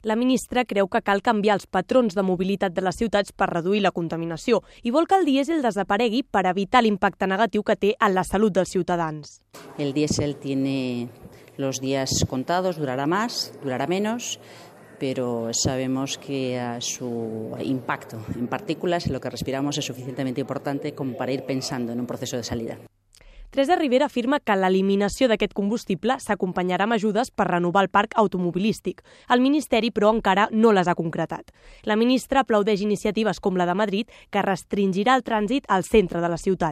La ministra creu que cal canviar els patrons de mobilitat de les ciutats per reduir la contaminació i vol que el dièsel desaparegui per evitar l'impacte negatiu que té en la salut dels ciutadans. El diésel tiene los días contados, durará más, durará menos, pero sabemos que su impacto en partículas, en lo que respiramos, es suficientemente importante como para ir pensando en un proceso de salida. Teresa Ribera afirma que l'eliminació d'aquest combustible s'acompanyarà amb ajudes per renovar el parc automobilístic. El Ministeri, però, encara no les ha concretat. La ministra aplaudeix iniciatives com la de Madrid, que restringirà el trànsit al centre de la ciutat.